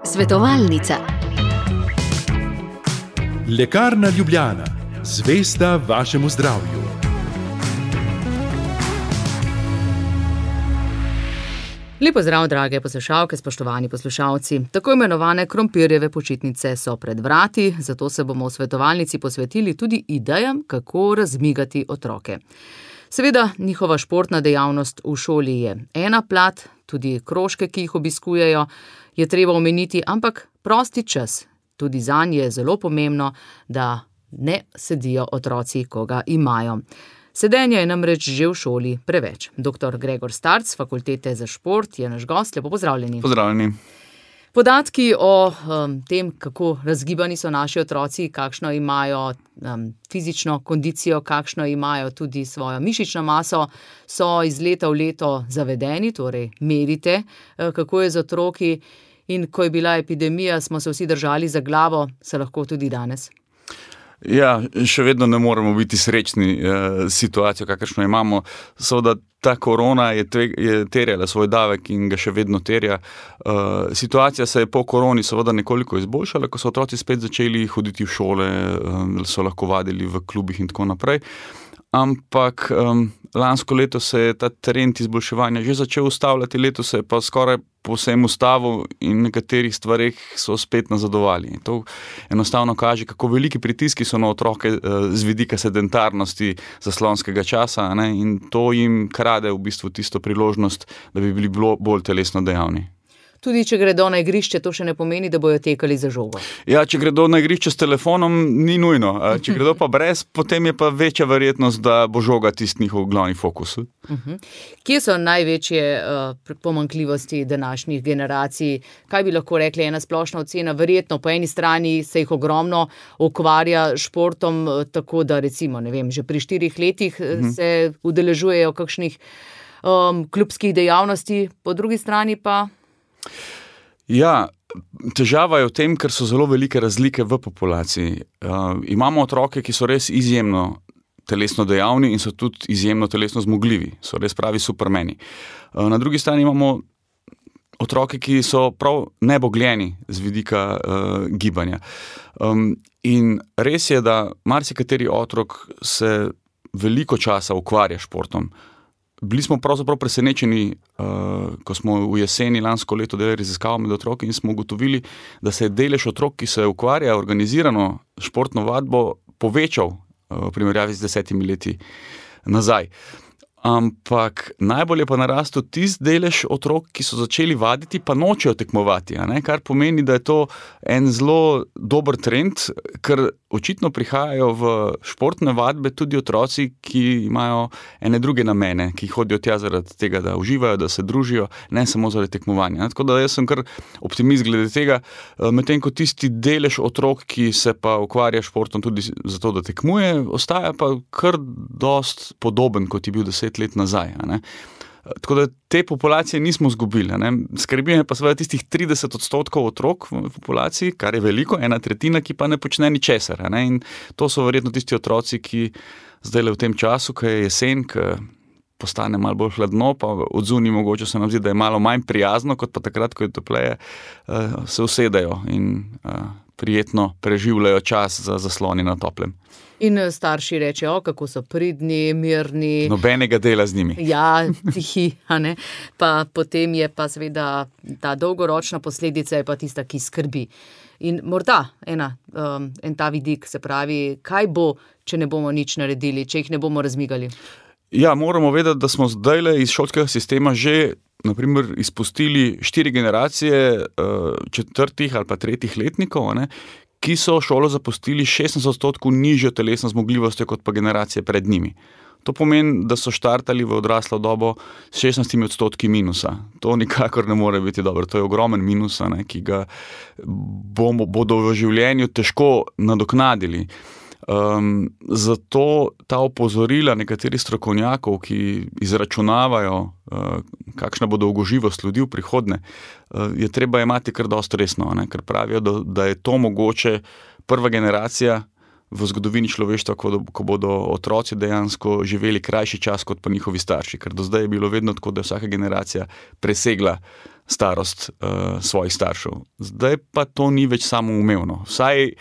Svetovalnica. Lekarna Ljubljana, zvesta vašemu zdravju. Lepo zdrav, drage poslušalke, spoštovani poslušalci. Tako imenovane krompirjeve počitnice so pred vrati, zato se bomo v svetovalnici posvetili tudi idejam, kako razmigati otroke. Seveda, njihova športna dejavnost v šoli je ena plat, tudi krožke, ki jih obiskujejo, je treba omeniti, ampak prosti čas. Tudi zanj je zelo pomembno, da ne sedijo otroci, ko ga imajo. Sedenja je namreč že v šoli preveč. Dr. Gregor Starc z Fakultete za šport je naš gost. Lepo pozdravljeni. Pozdravljeni. Podatki o tem, kako razgibani so naši otroci, kakšno imajo fizično kondicijo, kakšno imajo tudi svojo mišično maso, so iz leta v leto zavedeni, torej merite, kako je z otroki. In ko je bila epidemija, smo se vsi držali za glavo, se lahko tudi danes. Ja, še vedno ne moremo biti srečni situacijo, kakršno imamo. Seveda ta korona je terjala svoj davek in ga še vedno terja. Situacija se je po koroni seveda nekoliko izboljšala, ko so otroci spet začeli hoditi v šole, so lahko vadili v klubih in tako naprej. Ampak lansko leto se je ta trend izboljševanja že začel ustavljati, letos se je pa skoraj povsem ustavil in nekaterih stvareh so spet nazadovali. To enostavno kaže, kako veliki pritiski so na otroke z vidika sedentarnosti zaslonskega časa, ne? In to jim krade v bistvu tisto priložnost, da bi bili bolj telesno dejavni. Tudi če gredo na igrišče, to še ne pomeni, da bojo tekali za žogo. Ja, če gredo na igrišče s telefonom, ni nujno. Če gredo pa brez, potem je pa večja verjetnost, da bo žoga tisti njihov glavni fokus. Kje so največje pomanjkljivosti današnjih generacij? Kaj bi lahko rekli, ena splošna ocena? Verjetno po eni strani se jih ogromno ukvarja športom, tako da recimo, ne vem, že pri 4 letih se udeležujejo kakšnih klubskih dejavnosti, po drugi strani pa... Ja, težava je v tem, ker so zelo velike razlike v populaciji. Imamo otroke, ki so res izjemno telesno dejavni in so tudi izjemno telesno zmogljivi, so res pravi supermeni. Na drugi strani imamo otroke, ki so prav nebogljeni z vidika gibanja. In res je, da marsikateri otrok se veliko časa ukvarja športom. Bili smo pravzaprav presenečeni, ko smo v jeseni lansko leto delali raziskavo med otroki in smo ugotovili, da se je delež otrok, ki se ukvarja organizirano športno vadbo, povečal v primerjavi z 10 leti nazaj. Ampak najbolj je pa narastel tisti delež otrok, ki so začeli vaditi, pa nočejo tekmovati, kar pomeni, da je to en zelo dober trend, ker očitno prihajajo v športne vadbe tudi otroci, ki imajo ene druge namene, ki hodijo tja zaradi tega, da uživajo, da se družijo, ne samo zaradi tekmovanja. Tako da jaz sem kar optimist glede tega, medtem ko tisti delež otrok, ki se pa ukvarja športom tudi zato, da tekmuje, ostaja pa kar dost podoben, kot je bil 10 let nazaj. Tako da te populacije nismo zgubili. Skrbi me pa seveda tistih 30% otrok v populaciji, kar je veliko, 1/3, ki pa ne počne ničesar. In to so verjetno tisti otroci, ki zdaj v tem času, ko je jesen, ko postane malo bolj hladno, pa odzunaj mogoče se nam zdi, da je malo manj prijazno, kot pa takrat, ko je topleje, se usedejo in prijetno preživljajo čas za zasloni na toplem. In starši rečejo, kako so pridni, mirni. Nobenega dela z njimi. Ja, tihi, pa potem je pa seveda ta dolgoročna posledica je pa tista, ki skrbi. In morda en ta vidik, se pravi, kaj bo, če ne bomo nič naredili, če jih ne bomo razmigali? Ja, moramo vedeti, da smo zdajle iz šolskega sistema že naprimer izpustili 4 generacije 4. ali pa 3. letnikov, ki so šolo zapustili 16% nižjo telesno zmogljivostjo kot pa generacije pred njimi. To pomeni, da so štartali v odraslo dobo s 16% minusa. To nikakor ne more biti dobro. To je ogromen minus, ki ga bodo v življenju težko nadoknadili. Zato ta opozorila nekaterih strokovnjakov, ki izračunavajo, kakšna bo dolgoživost ljudi v prihodnje, je treba imati kar dosti resno, ker pravijo, da je to mogoče prva generacija v zgodovini človeštva, ko bodo otroci dejansko živeli krajši čas kot pa njihovi starši, ker do zdaj je bilo vedno tako, da je vsaka generacija presegla starost svojih staršev. Zdaj pa to ni več samoumevno. Vsaj,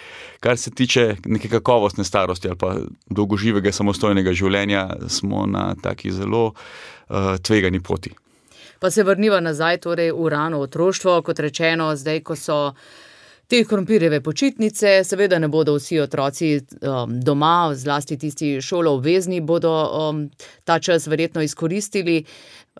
kar se tiče neke kakovostne starosti ali pa dolgoživega samostojnega življenja, smo na taki zelo tvegani poti. Pa se vrniva nazaj torej v rano otroštvo, kot rečeno, zdaj, ko so te krompirjeve počitnice, seveda ne bodo vsi otroci doma, zlasti tisti šoloobvezni bodo ta čas verjetno izkoristili,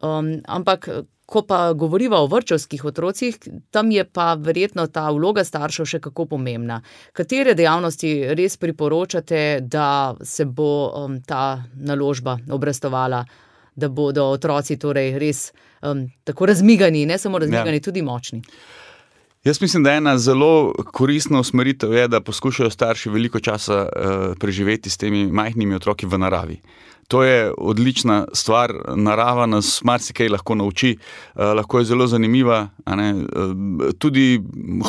ampak ko pa govoriva o vrtčevskih otrocih, tam je pa verjetno ta vloga staršev še kako pomembna. Katere dejavnosti res priporočate, da se bo ta naložba obrestovala, da bodo otroci torej res tako razmigani, ne samo razmigani, tudi močni? Jaz mislim, da ena zelo koristna usmeritev je, da poskušajo starši veliko časa preživeti s temi majhnimi otroki v naravi. To je odlična stvar, narava nas marsikaj lahko nauči, lahko je zelo zanimiva, tudi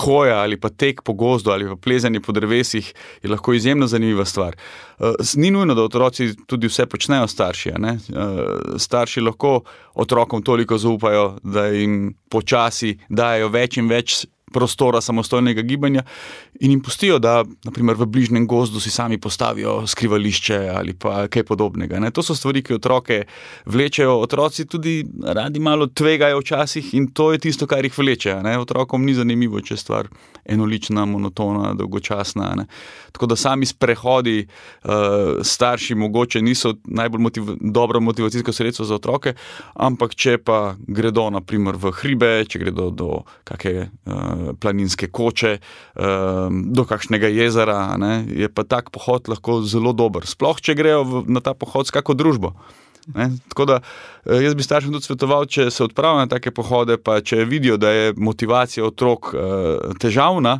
hoja ali pa tek po gozdu ali pa plezanje po drevesih je lahko izjemno zanimiva stvar. Ni nujno, da otroci tudi vse počnejo starši, Starši lahko otrokom toliko zaupajo, da jim počasi dajo več in več prostora samostojnega gibanja in jim pustijo, da naprimer v bližnjem gozdu si sami postavijo skrivališče ali pa kaj podobnega. To so stvari, ki otroke vlečejo. Otroci tudi radi malo tvegajo včasih in to je tisto, kar jih vleče. Otrokom ni zanimivo, če je stvar enolična, monotona, dolgočasna. Tako da sami sprehodi starši mogoče niso najbolj dobro motivacijsko sredstvo za otroke, ampak če pa gredo naprimer v hribe, če gredo do kakšne planinske koče, do kakšnega jezera, je pa tak pohod lahko zelo dober. Sploh, če grejo na ta pohod s kako družbo. Tako da jaz bi staršem tudi svetoval, če se odpravijo na take pohode, pa če vidijo, da je motivacija otrok težavna,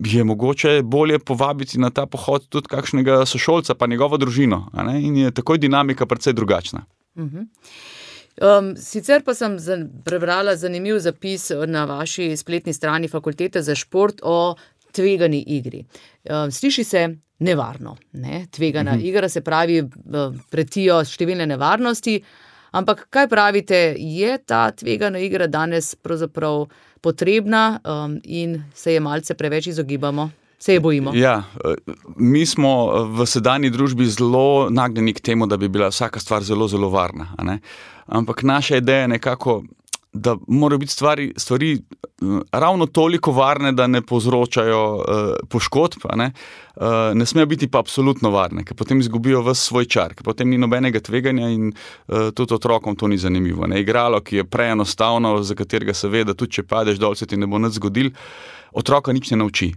je mogoče bolje povabiti na ta pohod tudi kakšnega sošolca, pa njegovo družino. In je takoj dinamika precej drugačna. Sicer pa sem prebrala zanimiv zapis na vaši spletni strani Fakultete za šport o tvegani igri. Sliši se nevarno, Tvegana igra, se pravi, pretijo številne nevarnosti, ampak kaj pravite, je ta tvegana igra danes pravzaprav potrebna in se je malce preveč izogibamo? Se je bojimo. Ja, mi smo v sedanji družbi zelo nagnjeni k temu, da bi bila vsaka stvar zelo, zelo varna. Ampak naša ideja je nekako, da morajo biti stvari ravno toliko varne, da ne povzročajo poškodb, ne smejo biti pa absolutno varne, ker potem izgubijo ves svoj čar, ker potem ni nobenega tveganja in tudi otrokom to ni zanimivo. Igralo, ki je preenostavno, za katerega se ve, da tudi če padeš dol, se ti ne bo nič zgodil, otroka nič ne nauči.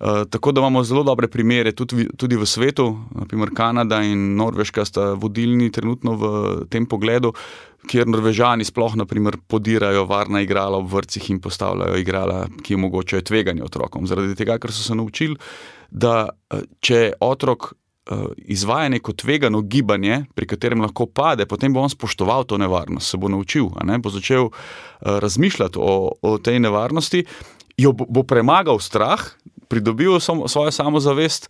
Tako da imamo zelo dobre primere tudi v svetu, naprimer Kanada in Norveška sta vodilni trenutno v tem pogledu, kjer Norvežani sploh naprimer podirajo varna igrala v vrtcih in postavljajo igrala, ki omogočajo tveganje otrokom. Zaradi tega, ker so se naučili, da če otrok izvaja neko tvegano gibanje, pri katerem lahko pade, potem bo on spoštoval to nevarnost, se bo naučil, bo začel razmišljati o tej nevarnosti, jo bo premagal strah, pridobil svojo samozavest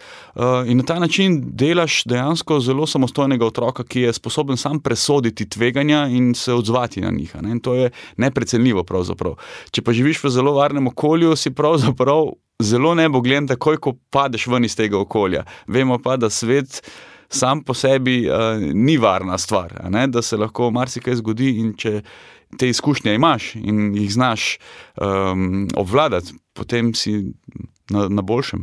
in na ta način delaš dejansko zelo samostojnega otroka, ki je sposoben sam presoditi tveganja in se odzvati na njih. In to je neprecenljivo pravzaprav. Če pa živiš v zelo varnem okolju, si pravzaprav zelo nebogljen takoj, ko padeš ven iz tega okolja. Vemo pa, da svet sam po sebi ni varna stvar, da se lahko marsikaj zgodi in če te izkušnje imaš in jih znaš obvladati, potem si na boljšem.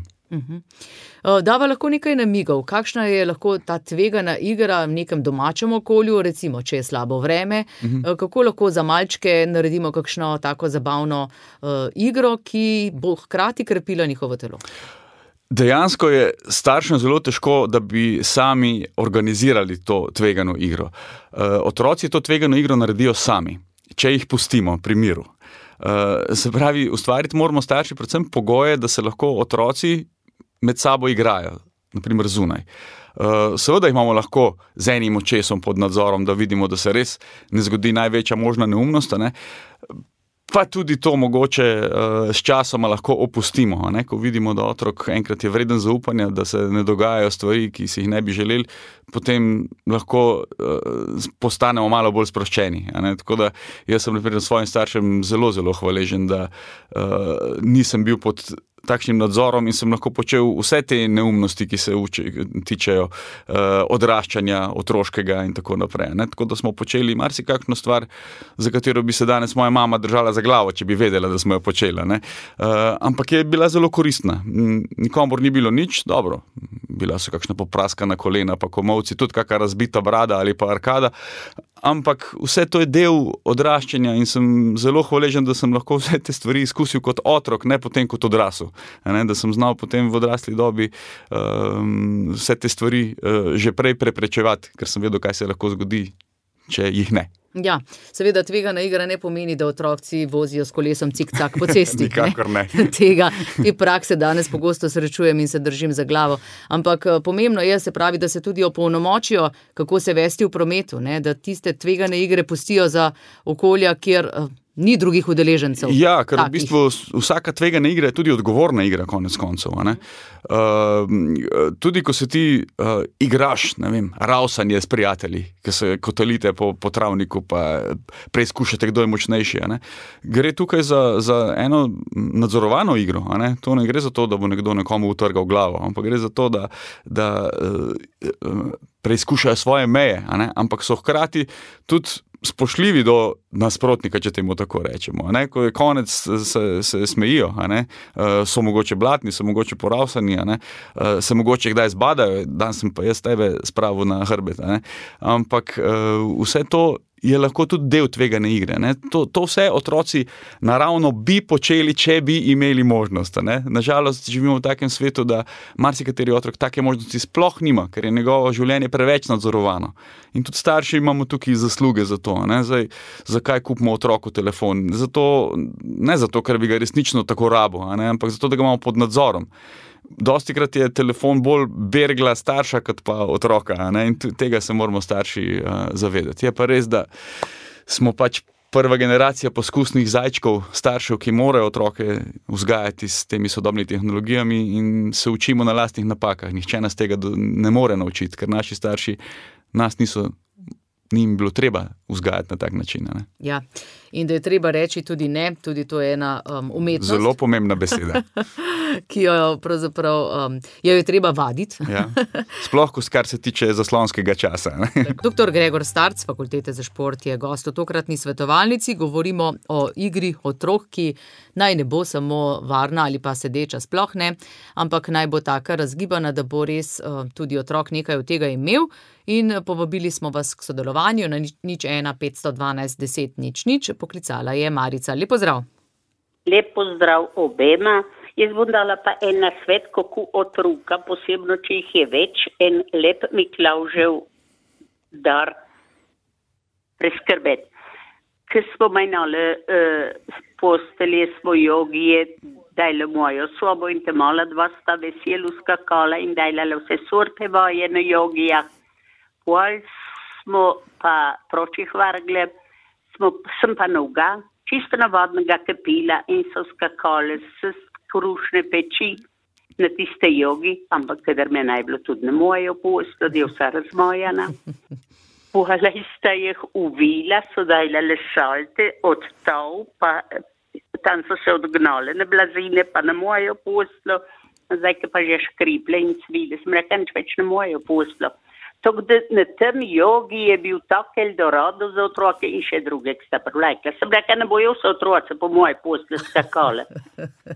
Dava lahko nekaj namigov, kakšna je lahko ta tvegana igra v nekem domačem okolju, recimo, če je slabo vreme, kako lahko za malčke naredimo kakšno tako zabavno igro, ki bo hkrati krepila njihovo telo? Dejansko je staršem zelo težko, da bi sami organizirali to tvegano igro. Otroci to tvegano igro naredijo sami, če jih pustimo pri miru. Se pravi, ustvariti moramo starši predvsem pogoje, da se lahko otroci med sabo igrajo, naprimer zunaj. Seveda jih imamo lahko z enim očesom pod nadzorom, da vidimo, da se res ne zgodi največja možna neumnost, Pa tudi to mogoče s časoma lahko opustimo, ne? Ko vidimo, da otrok enkrat je vreden zaupanja, da se ne dogajajo stvari, ki si jih ne bi želeli, potem lahko postanemo malo bolj sproščeni. Ne? Tako da jaz sem naprej svojim staršem zelo, zelo hvaležen, da nisem bil pod takšnim nadzorom in sem lahko počel vse te neumnosti, ki se tičejo odraščanja otroškega in tako naprej. Ne? Tako da smo počeli marsikakšno stvar, za katero bi se danes moja mama držala za glavo, če bi vedela, da smo jo počela. Ne? Ampak je bila zelo koristna. Nikomor ni bilo nič, dobro. Bila so kakšna popraskana kolena, pa komolci, tudi kakšna razbita brada ali pa arkada. Ampak vse to je del odraščanja in sem zelo hvaležen, da sem lahko vse te stvari izkusil kot otrok, ne potem kot odrasel. Da sem znal potem v odrasli dobi vse te stvari že prej preprečevati, ker sem vedel, kaj se lahko zgodi, če jih ne. Ja, seveda tvegana igra ne pomeni, da otroci vozijo s kolesom cik-cak po cesti. Nikakor ne. Te prakse danes pogosto srečujem in se držim za glavo. Ampak pomembno je, se pravi, da se tudi opolnomočijo, kako se vesti v prometu, ne? Da tiste tvegane igre pustijo za okolja, kjer ni drugih udeležencev. Ja, ker v bistvu vsaka tvegana igra je tudi odgovorna igra, konec koncev. Tudi ko se ti igraš, ne vem, ravsanje s prijatelji, ki se kotalite po travniku, pa preizkušate, kdo je močnejši. Gre tukaj za eno nadzorovano igro. To ne gre za to, da bo nekdo nekomu utrgal glavo, ampak gre za to, da preizkušajo svoje meje, ampak so hkrati tudi spoštljivi do nasprotnika, če temu tako rečemo. Ko je konec, se smejijo, so mogoče blatni, so mogoče poravsani, se mogoče kdaj zbadajo, danes sem pa jaz tebe spravil na hrbet. Ampak vse to je lahko tudi del tvegane igre. To vse otroci naravno bi počeli, če bi imeli možnost. Nažalost živimo v takem svetu, da marsikateri otrok take možnosti sploh nima, ker je njegovo življenje preveč nadzorovano. In tudi starši imamo tukaj zasluge za to. Zdaj, zakaj kupimo otroku telefon? Ne zato, ker bi ga resnično tako rabo, ampak zato, da ga imamo pod nadzorom. Dostikrat je telefon bolj bergla starša kot pa otroka, in tega se moramo starši zavedati. Je pa res, da smo pač prva generacija poskusnih zajčkov staršev, ki morajo otroke vzgajati s temi sodobnimi tehnologijami in se učimo na lastnih napakah. Nihče nas tega ne more naučiti, ker naši starši nas ni jim bilo treba vzgajati na tak način. Ja, in da je treba reči tudi ne, tudi to je ena umetnost. Zelo pomembna beseda. Ki jo pravzaprav jo je treba vaditi. Ja. Sploh, kar se tiče zaslonskega časa. Dr. Gregor Starc, Fakultete za šport, je gost v tokratni svetovalnici. Govorimo o igri otrok, ki naj ne bo samo varna ali pa sedeča, sploh ne, ampak naj bo taka razgibana, da bo res tudi otrok nekaj od tega imel. In povabili smo vas k sodelovanju na 01 512 10 00. Poklicala je Marica. Lep pozdrav. Lep pozdrav obema. Jaz bom dala pa en nasvet, kako otroka, posebno če jih je več, en lep Miklavžev dar preskrbeti. Ker smo majnale postelje, smo jogije, dajle mojo sobo in te mala dva sta veselu skakala in dajle vse sorte voje na jogijah. Pol smo pa pročih vargle, sem pa noga, čisto navadnega kapila in so skakale s krušne peči na tiste jogi, ampak kadar me naj bilo tudi na mojo poslo, da je vsa razmojana. Pohala sta jih uvila, so dajla lešalte od tov, pa tam so se odgnale na blazine, pa na mojo poslo, zdaj pa že škriple in cvile, sem rekla, nič več na mojo poslo. Tako da na tem jogi je bil tak Eldorado za otroke in še druge, ki sta privlekla. Sem rekla, ne bojo se otroci po moje posle skakale.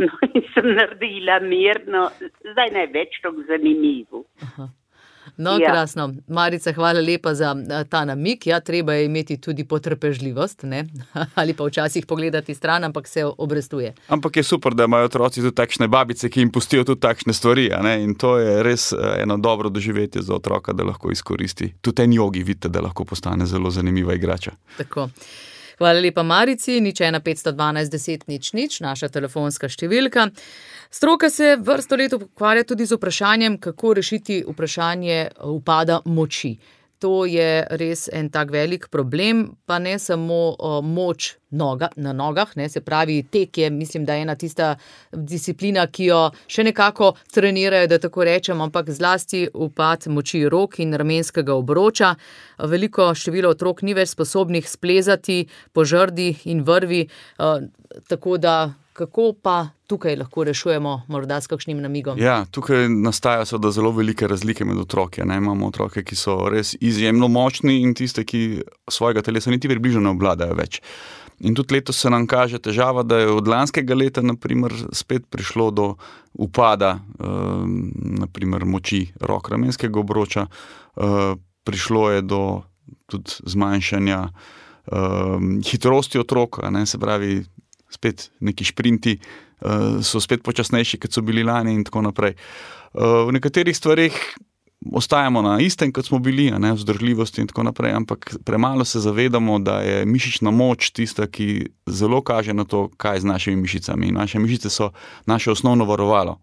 No in sem naredila mirno, zdaj ne več tako zanimivo. Aha. No, ja. Krasno. Marica, hvala lepa za ta namik. Ja, treba je imeti tudi potrpežljivost, ne? Ali pa včasih pogledati stran, ampak se obrestuje. Ampak je super, da imajo otroci tudi takšne babice, ki jim pustijo tudi takšne stvari. In to je res eno dobro doživetje za otroka, da lahko izkoristi. Tudi en jogi, vidite, da lahko postane zelo zanimiva igrača. Tako. Hvala lepa Marici, 01 512 10 00, naša telefonska številka. Stroka se vrsto let ukvarja tudi z vprašanjem, kako rešiti vprašanje upada moči. to je res en tak velik problem, pa ne samo moč na nogah, ne, se pravi, tek je, mislim, da je ena tista disciplina, ki jo še nekako trenirajo, da tako rečem, ampak zlasti upad moči rok in ramenskega obroča. Veliko število otrok ni več sposobnih splezati po žrdi in vrvi, tako da kako pa tukaj lahko rešujemo, morda s kakšnim namigom? Ja, tukaj nastajajo seveda zelo velike razlike med otroki. Imamo otroke, ki so res izjemno močni in tiste, ki svojega telesa niti približno ne obvladajo več. In tudi letos se nam kaže težava, da je od lanskega leta naprimer spet prišlo do upada naprimer moči rok, ramenskega obroča, prišlo je do tudi zmanjšanja hitrosti otrok, se pravi, spet neki šprinti so spet počasnejši, kot so bili lani in tako naprej. V nekaterih stvarih ostajamo na istem, kot smo bili, vzdržljivosti in tako naprej, ampak premalo se zavedamo, da je mišična moč tista, ki zelo kaže na to, kaj z našimi mišicami. Naše mišice so naše osnovno varovalo.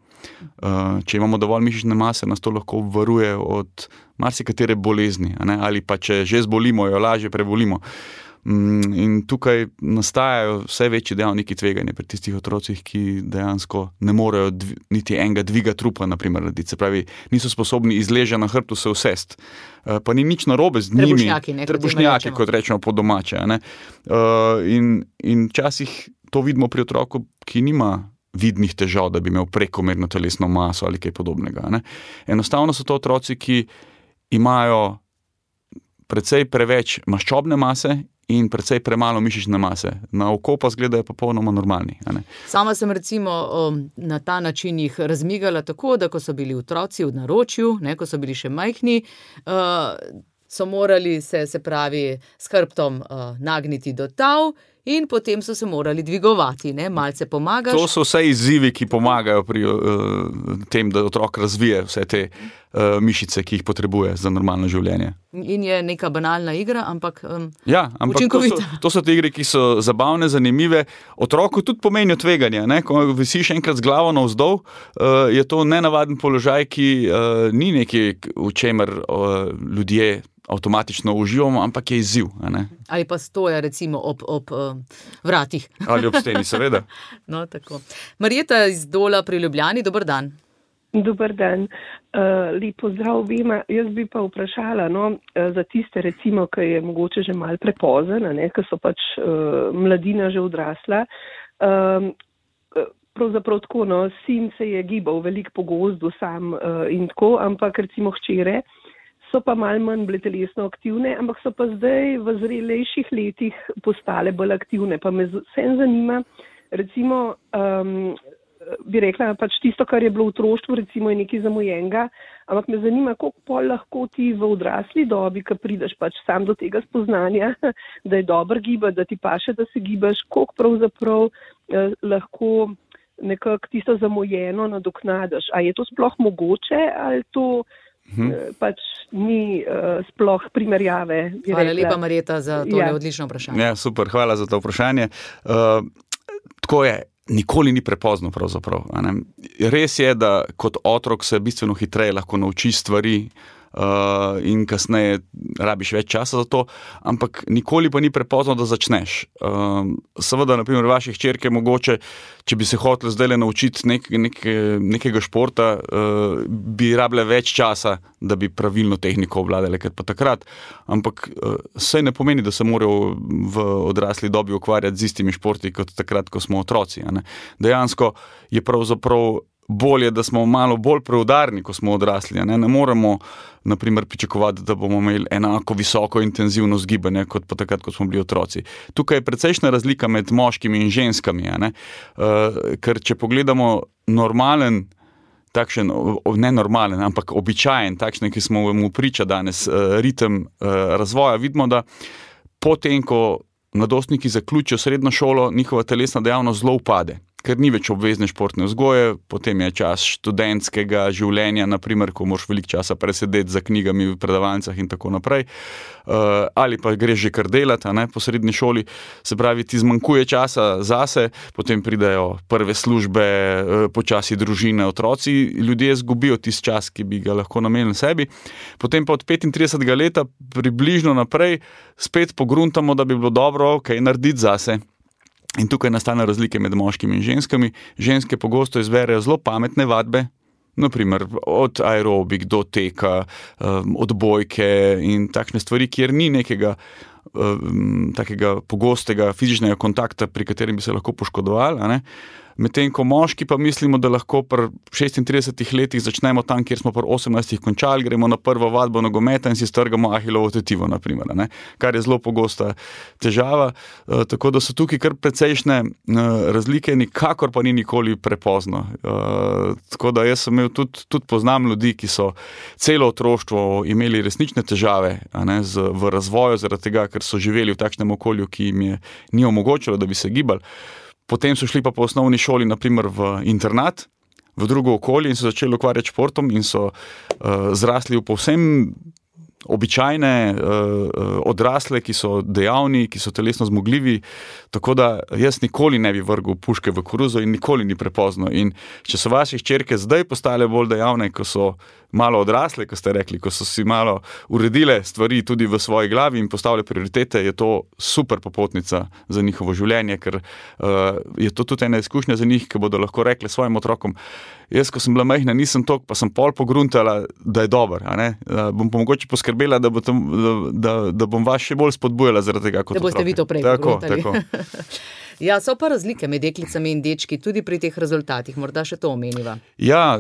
Če imamo dovolj mišične mase, nas to lahko obvaruje od marsikatere bolezni, ali pa če že zbolimo, jo lažje prebolimo. In tukaj nastajajo vse večji dejavniki tveganja pri tistih otrocih, ki dejansko ne morejo niti enega dviga trupa, naprimer, narediti. Se pravi, niso sposobni iz leža na hrbtu se usesti. Pa ni nič narobe z njimi. Trebušnjaki, kot rečemo po domače. In včasih to vidimo pri otroku, ki nima vidnih težav, da bi imel prekomerno telesno maso ali kaj podobnega. Enostavno so to otroci, ki imajo precej preveč maščobne mase in precej premalo mišične mase. Na oko pa izgledajo popolnoma normalni. Sama sem recimo na ta način jih razmigala tako, da ko so bili otroci v naročju, ko so bili še majhni, so morali se pravi, s hrbtom nagniti do tal in potem so se morali dvigovati, malce pomagaš. To so vse izzivi, ki pomagajo pri tem, da otrok razvije vse te mišice, ki jih potrebuje za normalno življenje. In je neka banalna igra, ampak učinkovita. To so te igre, ki so zabavne, zanimive. Otroku tudi pomenijo tveganje. Ko visiš enkrat z glavo navzdol, je to nenavaden položaj, ki ni nekaj, v čemer ljudje avtomatično uživamo, ampak je izziv. Ali pa stoja recimo ob vratih. Ali ob steni, seveda. No, tako. Marjeta iz Dola pri Ljubljani, dober dan. Dober dan. Lep pozdrav obema. Jaz bi pa vprašala za tiste recimo, ki je mogoče že malo prepozen, ki so pač mladina že odrasla. Pravzaprav tako, sin se je gibal veliko po gozdu sam in tako, ampak recimo hčere so pa malo manj bile telesno aktivne, ampak so pa zdaj v zrelejših letih postale bolj aktivne. Pa me vsem zanima, recimo, bi rekla, pač tisto, kar je bilo v otroštvu, recimo je nekaj zamujenega, ampak me zanima, koliko pol lahko ti v odrasli dobi, ko prideš pač sam do tega spoznanja, da je dobro gibati, da ti paše, da se gibaš, koliko pravzaprav lahko nekako tisto zamujeno nadoknadaš. A je to sploh mogoče, ali to pač ni sploh primerjave? Hvala lepa, Marjeta, za tole odlično vprašanje. Ja, super, hvala za to vprašanje. Tako je, nikoli ni prepozno pravzaprav. Res je, da kot otrok se bistveno hitreje lahko nauči stvari in kasneje rabiš več časa za to, ampak nikoli pa ni prepozno, da začneš. Seveda, na primer, vaše hčerke mogoče, če bi se hoteli zdaj naučiti nekega športa, bi rabile več časa, da bi pravilno tehniko obvladale, kot pa takrat. Ampak saj ne pomeni, da se morajo v odrasli dobi ukvarjati z istimi športi, kot takrat, ko smo otroci. Dejansko je pravzaprav bolje, da smo malo bolj preudarni, ko smo odrasli. Ne moremo, na primer, pričakovati, da bomo imeli enako visoko intenzivnost gibanja, kot pa takrat, ko smo bili otroci. Tukaj je precejšnja razlika med moškimi in ženskami, ker če pogledamo normalen, takšen, ne normalen, ampak običajen, takšen, ki smo mu priča danes, ritem razvoja, vidimo, da potem, ko mladostniki zaključijo srednjo šolo, njihova telesna dejavnost zelo upade. ker ni več obvezne športne vzgoje, potem je čas študentskega življenja, naprimer, ko moraš veliko časa presedeti za knjigami v predavalnicah in tako naprej, ali pa greš že kar delati, po srednji šoli, se pravi, ti zmanjkuje časa zase, potem pridejo prve službe, počasi družine, otroci, ljudje izgubijo tisti čas, ki bi ga lahko namenili sebi, potem pa od 35. leta približno naprej spet pogruntamo, da bi bilo dobro narediti zase. In tukaj nastane razlike med moškimi in ženskami. Ženske pogosto izberejo zelo pametne vadbe, naprimer od aerobik do teka, od bojke in takšne stvari, kjer ni nekega takega pogostega fizičnega kontakta, pri katerem bi se lahko poškodovali, Medtem ko moški pa mislimo, da lahko pri 36 letih začnemo tam, kjer smo pri 18 končali, gremo na prvo vadbo nogometa in si strgamo ahilovo tetivo, naprimer, kar je zelo pogosta težava. Tako da so tukaj kar precejšnje razlike, nikakor pa ni nikoli prepozno. Tako da jaz sem imel tudi poznam ljudi, ki so celo otroštvo imeli resnične težave v razvoju, zaradi tega, ker so živeli v takšnem okolju, ki jim ni omogočilo, da bi se gibali. Potem so šli pa po osnovni šoli, naprimer v internat, v drugo okolje in so začeli ukvarjati športom in so zrasli v povsem običajne odrasle, ki so dejavni, ki so telesno zmogljivi, tako da jaz nikoli ne bi vrgel puške v koruzo in nikoli ni prepozno. In če so vaše hčerke zdaj postale bolj dejavne, ko so malo odrasle, ko ste rekli, ko so si malo uredile stvari tudi v svoji glavi in postavile prioritete, je to super popotnica za njihovo življenje, ker je to tudi ena izkušnja za njih, ki bodo lahko rekli svojim otrokom, jaz, ko sem bila majhna, nisem tok, pa sem pol pogruntala, da je dober, bom pa mogoče poskrbela, da bom vas še bolj spodbujala zaradi tega, kot otroke. Da boste vi to prej pogruntali. Tako. Ja, so pa razlike med deklicami in dečki, tudi pri teh rezultatih, morda še to omeniva. Ja,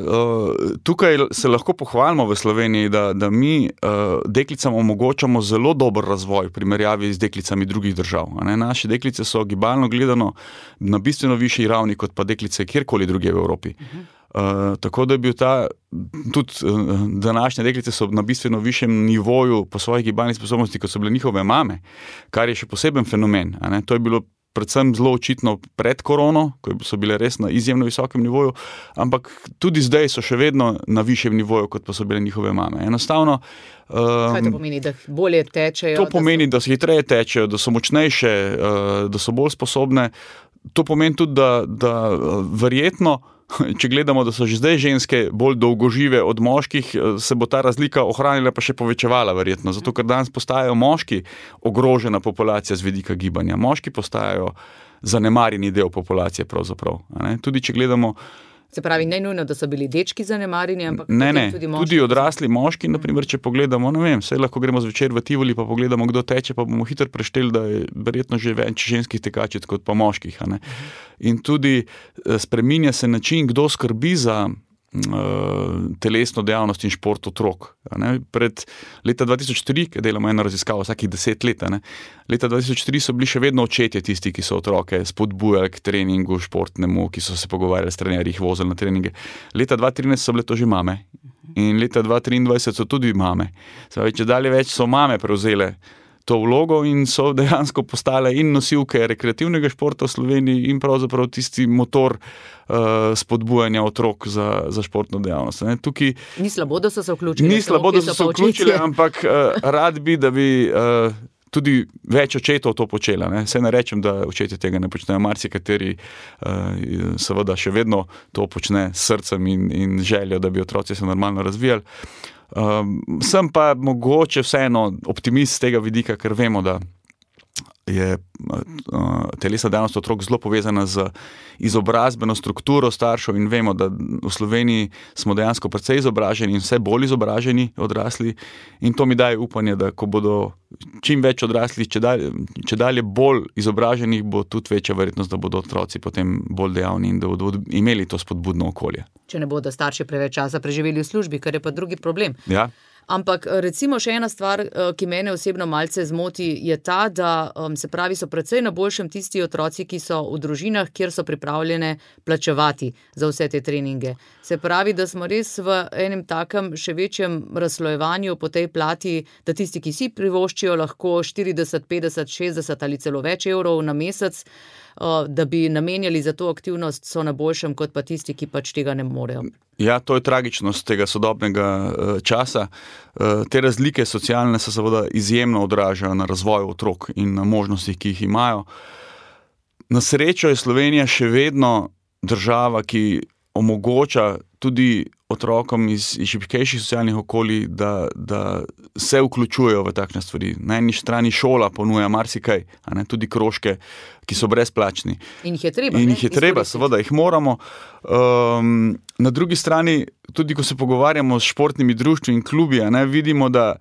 tukaj se lahko pohvalimo v Sloveniji, da mi deklicam omogočamo zelo dober razvoj v primerjavi z deklicami drugih držav. Naše deklice so gibalno gledano na bistveno višji ravni kot pa deklice kjerkoli druge v Evropi. Tako da je bil tudi današnje deklice so na bistveno višjem nivoju po svojih gibalnih sposobnosti, kot so bile njihove mame, kar je še poseben fenomen. To je bilo predvsem zelo očitno pred korono, ko so bile res na izjemno visokem nivoju, ampak tudi zdaj so še vedno na višjem nivoju, kot pa so bile njihove mame. Enostavno... Kaj to pomeni, da bolje tečejo? To pomeni, da so hitreje tečejo, da so močnejše, da so bolj sposobne. To pomeni tudi, da verjetno, če gledamo, da so že zdaj ženske bolj dolgožive od moških, se bo ta razlika ohranila pa še povečevala verjetno, zato ker danes postajajo moški ogrožena populacija z vidika gibanja. Moški postajajo zanemarjeni del populacije pravzaprav. Tudi če gledamo... Se pravi, ne nujno, da so bili dečki zanemarjeni, ampak tudi moški. Tudi odrasli moški, naprimer, če pogledamo, saj lahko gremo zvečer v Tivoli, pa pogledamo, kdo teče, pa bomo hitro prešteli, da je verjetno že več ženskih tekačic kot pa moških. In tudi spreminja se način, kdo skrbi za telesno dejavnost in šport otrok. Pred leta 2003, ki delamo eno raziskavo vsakih 10 let, leta 2003 so bili še vedno očetje tisti, ki so otroke spodbujali k treningu športnemu, ki so se pogovarjali s trenerji, jih vozili na treninge. Leta 2013 so bile to že mame in leta 2023 so tudi mame. Če dalje več so mame prevzele to vlogo in so dejansko postale in nosilke rekreativnega športa v Sloveniji in pravzaprav tisti motor spodbujanja otrok za športno dejavnost. Tukaj ni slabo, da so se vključili. Ni slabo, da so se vključili, ampak rad bi, da bi tudi več očetov to počela. Saj ne rečem, da očetje tega ne počnejo. Marsikateri seveda še vedno to počne s srcem in željo, da bi otroci se normalno razvijali. Sem pa mogoče vseeno optimist z tega vidika, ker vemo, da je telesna dejavnost otrok zelo povezana z izobrazbeno strukturo staršev in vemo, da v Sloveniji smo dejansko precej izobraženi in vse bolj izobraženi odrasli in to mi daje upanje, da ko bodo čim več odrasli, če dalje bolj izobraženih, bo tudi večja verjetnost, da bodo otroci potem bolj dejavni in da bodo imeli to spodbudno okolje. Če ne bodo starši preveč časa preživeli v službi, kar je pa drugi problem. Ja. Ampak recimo še ena stvar, ki mene osebno malce zmoti, je ta, da se pravi, so precej na boljšem tisti otroci, ki so v družinah, kjer so pripravljene plačevati za vse te treninge. Se pravi, da smo res v enem takem še večjem razslojevanju po tej plati, da tisti, ki si privoščijo lahko 40, 50, 60 ali celo več evrov na mesec, da bi namenjali za to aktivnost, so na boljšem kot pa tisti, ki pač tega ne morejo. Ja, to je tragičnost tega sodobnega časa. Te razlike socialne se seveda izjemno odražajo na razvoju otrok in na možnostih, ki jih imajo. Na srečo je Slovenija še vedno država, ki omogoča tudi otrokom iz šibkejših socialnih okolij, da se vključujejo v takšne stvari. Na eni strani šola ponuja marsikaj, tudi krožke, ki so brezplačni. In jih je treba. In jih je treba, seveda jih moramo. Na drugi strani, tudi ko se pogovarjamo s športnimi društvi in klubi, vidimo, da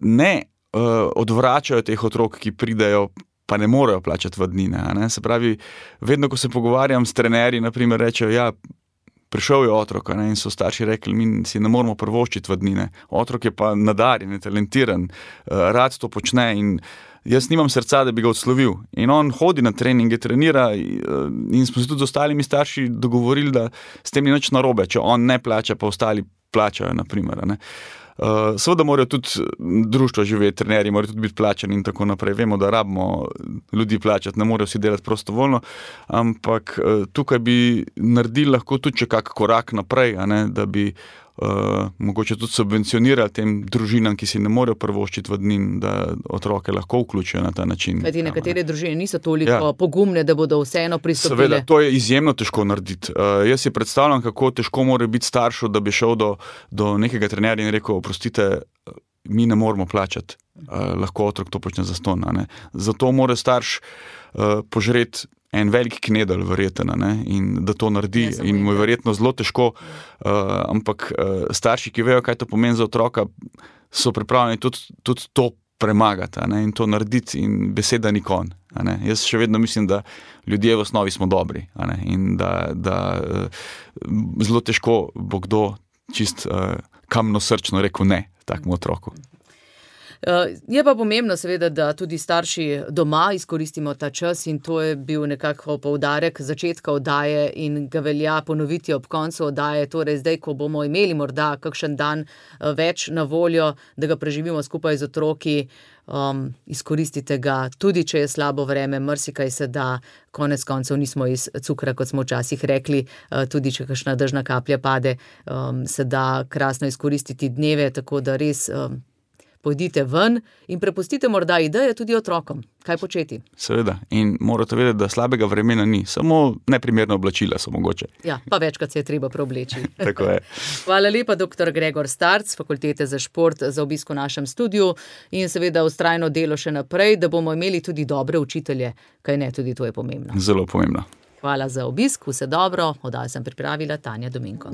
ne odvračajo teh otrok, ki pridejo, pa ne morejo plačati vadnine. Se pravi, vedno, ko se pogovarjam s trenerji, naprimer rečejo, ja, prišel je otrok, in so starši rekli, mi si ne moramo privoščiti vadnine. Otrok je pa nadarjen, talentiran, rad to počne in jaz nimam srca, da bi ga odslovil. In on hodi na treninge, trenira in smo se tudi z ostalimi starši dogovorili, da s tem ni nič narobe, če on ne plača, pa ostali plačajo, naprimer. Seveda morajo tudi društva živeti, trenerji morajo tudi biti plačani in tako naprej. Vemo, da rabimo ljudi plačati, ne morejo vsi delati prostovoljno, ampak tukaj bi naredili lahko tudi še kak korak naprej, da bi mogoče tudi subvencionirali tem družinam, ki si ne morejo privoščiti vadnin, da otroke lahko vključijo na ta način. Kajti nekatere družine niso toliko pogumne, da bodo vseeno pristopile. Seveda, to je izjemno težko narediti. Jaz si predstavljam, kako težko mora biti staršu, da bi šel do nekega trenerja in rekel, oprostite, mi ne moramo plačati. Lahko otrok to počne zastonj. Zato mora starš požreti en velik knedel, verjeten, in da to naredi. In mu je verjetno zelo težko, ampak starši, ki vejo, kaj to pomeni za otroka, so pripravljeni tudi to premagati, in to narediti in beseda ni konj. Jaz še vedno mislim, da ljudje v osnovi smo dobri, in da zelo težko bo kdo čist kamnosrčno rekel ne takemu otroku. Je pa pomembno seveda, da tudi starši doma izkoristimo ta čas in to je bil nekako poudarek začetka oddaje in ga velja ponoviti ob koncu oddaje, torej zdaj, ko bomo imeli morda kakšen dan več na voljo, da ga preživimo skupaj z otroki, izkoristite ga, tudi če je slabo vreme, marsikaj se da, konec koncev nismo iz cukra, kot smo včasih rekli, tudi če kakšna dežna kaplja pade, se da krasno izkoristiti dneve, tako da res pojdite ven in prepustite morda ideje tudi otrokom. Kaj početi? Seveda. In morate vedeti, da slabega vremena ni. Samo neprimerna oblačila so mogoče. Ja, pa večkrat se je treba preobleči. Tako je. Hvala lepa, dr. Gregor Starc, Fakultete za šport, za obisk v našem studiu in seveda vztrajno delo še naprej, da bomo imeli tudi dobre učitelje. Kaj ne, tudi to je pomembno. Zelo pomembno. Hvala za obisk, vse dobro. Oddajo sem pripravila Tanja Dominko.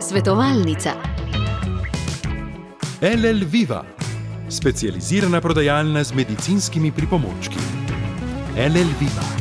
Svetovalnica. LL Viva, specializirana prodajalna z medicinskimi pripomočki. LL Viva.